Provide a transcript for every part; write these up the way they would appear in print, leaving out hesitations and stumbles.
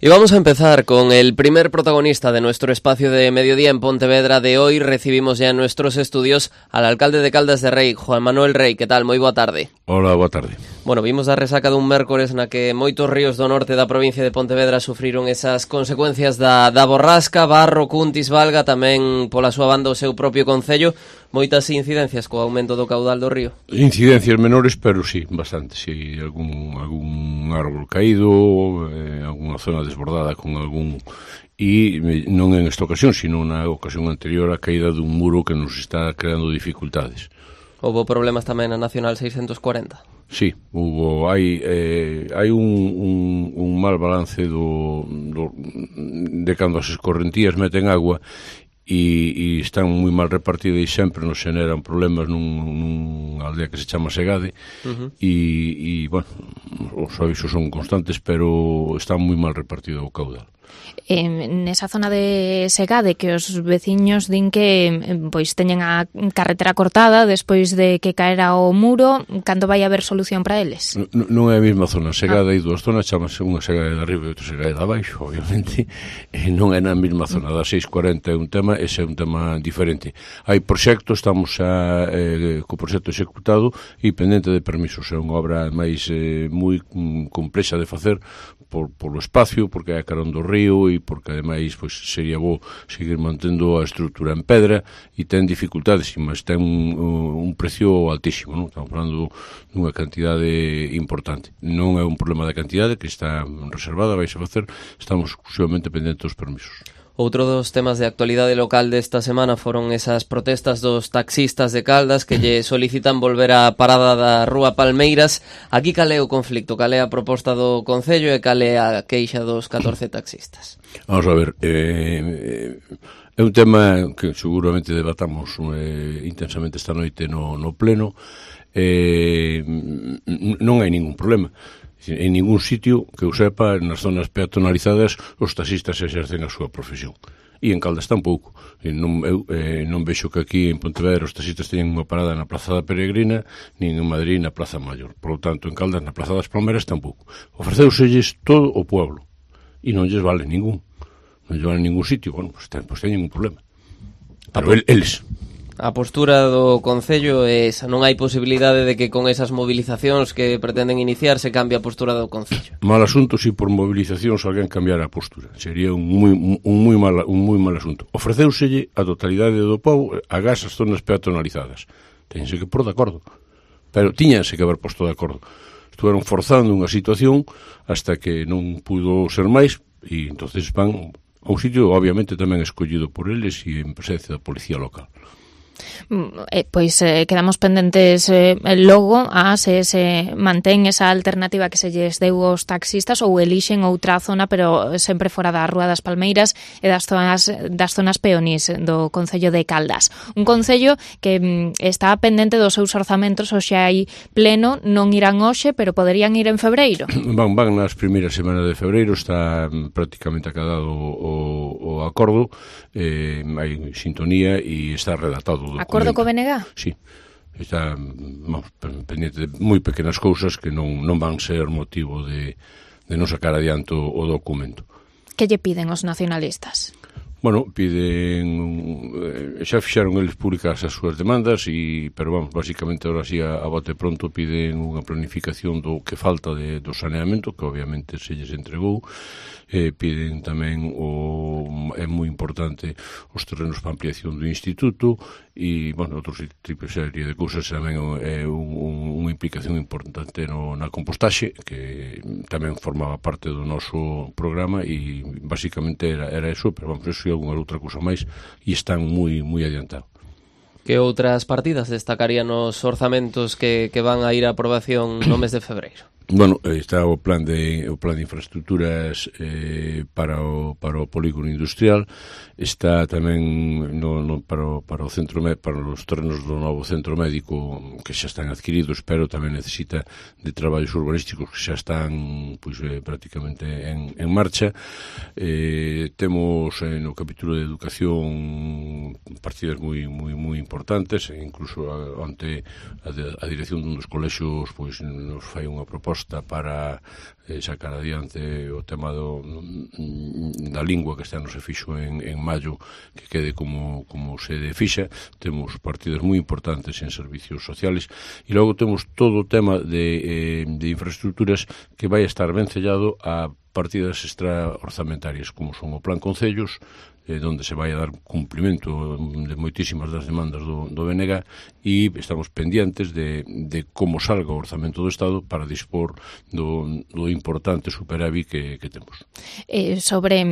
Y vamos a empezar con el primer protagonista de nuestro espacio de mediodía en Pontevedra de hoy. Recibimos ya en nuestros estudios al alcalde de Caldas de Rei, Juan Manuel Rei. Que tal? Moi boa tarde. Hola, boa tarde. Bueno, vimos a resaca dun mércores na que moitos ríos do norte da provincia de Pontevedra sufriron esas consecuencias da borrasca. Barro, Cuntis, Valga, tamén pola súa banda o seu propio concello. Moitas incidencias co aumento do caudal do río. Incidencias menores, pero sí, bastante. Sí, algún árbol caído, alguna zona desbordada con algún... E non en esta ocasión, sino na ocasión anterior, a caída dun muro que nos está creando dificultades. Houbo problemas tamén na Nacional 640. Sí, hai un mal balance de cando as escorrentías meten agua e están moi mal repartidas e sempre nos generan problemas nunha aldea que se chama Segade. E bueno, os avisos son constantes, pero está moi mal repartido o caudal. Nesa zona de Segade, que os veciños din que pois teñen a carretera cortada despois de que caera o muro, cando vai haber solución para eles? Non é a mesma zona. Segade hai dúas zonas, chamase unha Segade de arriba e outra Segade de abaixo, obviamente. Non é na mesma zona. Da 640 é un tema, ese é un tema diferente. Hai proxectos, estamos co proxecto executado e pendente de permisos. É unha obra máis moi complexa de facer polo espacio, porque é a carón do río e porque ademais pois sería bo seguir mantendo a estrutura en pedra e ten dificultades, mas ten un precio altísimo, non? Estamos falando dunha cantidade importante. Non é un problema de cantidade que está reservada, vais a facer, estamos exclusivamente pendentes dos permisos. Outro dos temas de actualidade local desta semana foron esas protestas dos taxistas de Caldas que lle solicitan volver á parada da Rúa Palmeiras. Aquí cal é o conflicto, cal é a proposta do Concello e cal é a queixa dos 14 taxistas? Vamos a ver, é un tema que seguramente debatamos intensamente esta noite no pleno. Non hai ningún problema. En ningún sitio que eu sepa, nas zonas peatonalizadas, os taxistas exercen a súa profesión. E en Caldas tampouco. Non vexo que aquí en Pontevedra os taxistas teñen unha parada na Praza da Peregrina, nin en Madrid na Praza Maior. Por lo tanto, en Caldas, na Praza das Palmeras, tampouco. Ofreceuselles todo o pueblo. E non lles vale ningún. Non lles vale ningún sitio. Bueno, pues teñen un problema. Pero eles... A postura do Concello é esa, non hai posibilidade de que con esas movilizacións que pretenden iniciar se cambie a postura do Concello. Mal asunto se por movilizacións alguén cambiara a postura. Sería un moi mal asunto. Ofreceuselle a totalidade do povo a gas as zonas peatonalizadas. Téñense que pôr de acordo. Pero tiñanse que haber posto de acordo. Estuveron forzando unha situación hasta que non pudo ser máis e entonces van a un sitio obviamente tamén escollido por eles e en presencia da policía local. Pois quedamos pendentes logo a se mantén esa alternativa que se lles deu aos taxistas ou elixen outra zona, pero sempre fora da Rúa das Palmeiras e das zonas peonís do Concello de Caldas. Un concello que está pendente dos seus orzamentos, hoxe hai pleno, non irán hoxe, pero poderían ir en febreiro. Van nas primeiras semanas de febreiro, está prácticamente acadado o acordo, hai sintonía e está redactado. Acordo co BNG? Sí, está pendiente de moi pequenas cousas que non van ser motivo de non sacar adiante o documento. Que lle piden os nacionalistas? Bueno, xa fixaron eles públicas as súas demandas, pero vamos, basicamente ahora sí a bote pronto piden unha planificación do que falta do saneamento, que obviamente se lles entregou. Piden tamén é moi importante os terrenos para ampliación do instituto e, bueno, outros tipos de cousas. Tamén é unha implicación importante na compostaxe, que tamén formaba parte do noso programa e basicamente era eso, pero vamos, eso e alguna outra cousa máis e están moi adiantados. Que outras partidas destacarían os orzamentos que van a ir a aprobación no mes de febreiro? Bueno, está o plan de infraestructuras para o polígono industrial, está tamén para o centro para os terrenos do novo centro médico que xa están adquiridos, pero tamén necesita de traballos urbanísticos que xa están prácticamente en marcha. Temos no capítulo de educación partidas moi importantes, incluso ante a dirección dun dos colexios pois nos fai unha proposta para sacar adiante o tema da lingua que este ano se fixo en maio, que quede como se fixa. Temos partidas moi importantes en servicios sociales e logo temos todo o tema de infraestructuras que vai estar ben sellado a partidas extraorzamentarias, como son o Plan Concellos, onde se vai a dar cumplimento de moitísimas das demandas do BNG, e estamos pendientes de como salga o orzamento do Estado para dispor do importante superávit que temos. Sobre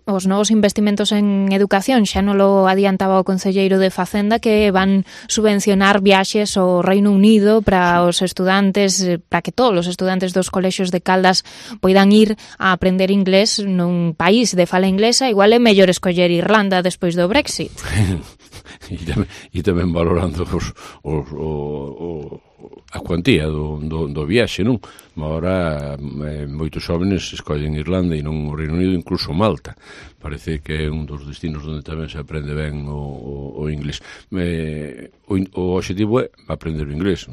os novos investimentos en educación, xa non lo adiantaba o concelleiro de Facenda, que van subvencionar viaxes ao Reino Unido para os estudantes, para que todos os estudantes dos colexios de Caldas poidan ir a aprender inglés nun país de fala inglesa. Igual é mellor escoller Irlanda despois do Brexit. E tamén valorando a cuantía do viaxe, non? Agora moitos jóvenes escollen Irlanda e non o Reino Unido, incluso Malta. Parece que é un dos destinos onde tamén se aprende ben o inglés. O objetivo é aprender o inglés.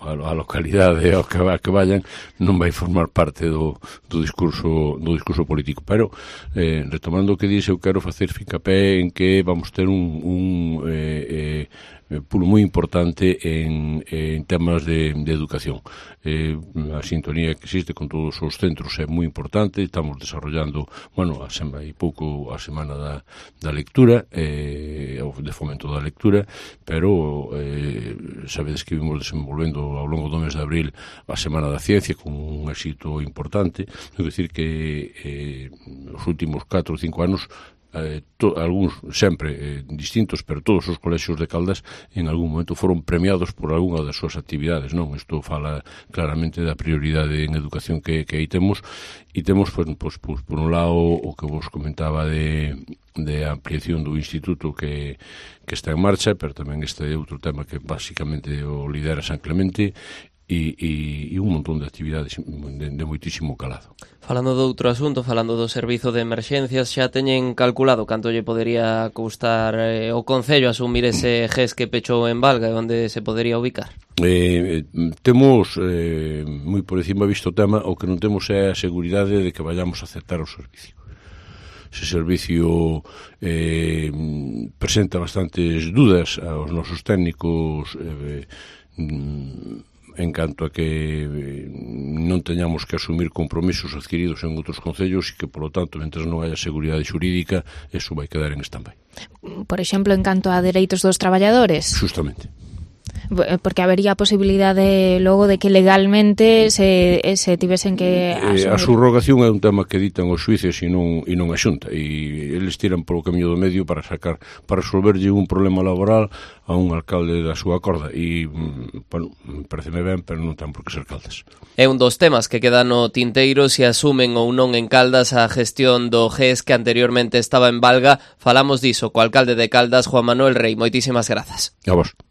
A localidade ao que vayan non vai formar parte do discurso político. Pero, retomando o que dixe, eu quero facer fincapé en que vamos ter un pulo moi importante en temas de educación. A sintonía que existe con todos os centros é moi importante. Estamos desarrollando, a semana da lectura, de fomento da lectura, pero sabedes que vimos desenvolvendo ao longo do mes de abril a Semana da Ciencia con un éxito importante. É dicir que os últimos 4 ou 5 anos algúns sempre distintos, pero todos os colexios de Caldas en algún momento foron premiados por algunha das súas actividades, non? Isto fala claramente da prioridade en educación que aí temos, e temos, por un lado, o que vos comentaba de ampliación do instituto que está en marcha, pero tamén este é outro tema que basicamente o lidera San Clemente, e un montón de actividades de moitísimo calado. Falando de outro asunto, falando do servizo de emerxencias, xa teñen calculado canto lle podería custar o Concello asumir ese GES que pechou en Valga e onde se podería ubicar? Temos moi por encima visto o tema. O que non temos é a seguridade de que vayamos a aceptar o servicio. Ese servicio presenta bastantes dudas aos nosos técnicos en canto a que non teñamos que asumir compromisos adquiridos en outros concellos e que, polo tanto, mentre non haya seguridade xurídica, eso vai quedar en stand-by. Por exemplo, en canto a dereitos dos traballadores? Justamente. Porque habería a posibilidade logo de que legalmente se tivesen que asumir. A subrogación é un tema que ditan os xuíces e non a Xunta, e eles tiran polo camiño do medio para resolverlle un problema laboral a un alcalde da súa corda, e, pareceme ben, pero non ten por que ser Caldas. É un dos temas que queda no tinteiro se asumen ou non en Caldas a gestión do GES que anteriormente estaba en Valga. Falamos diso co alcalde de Caldas, Juan Manuel Rei. Moitísimas grazas. A vos.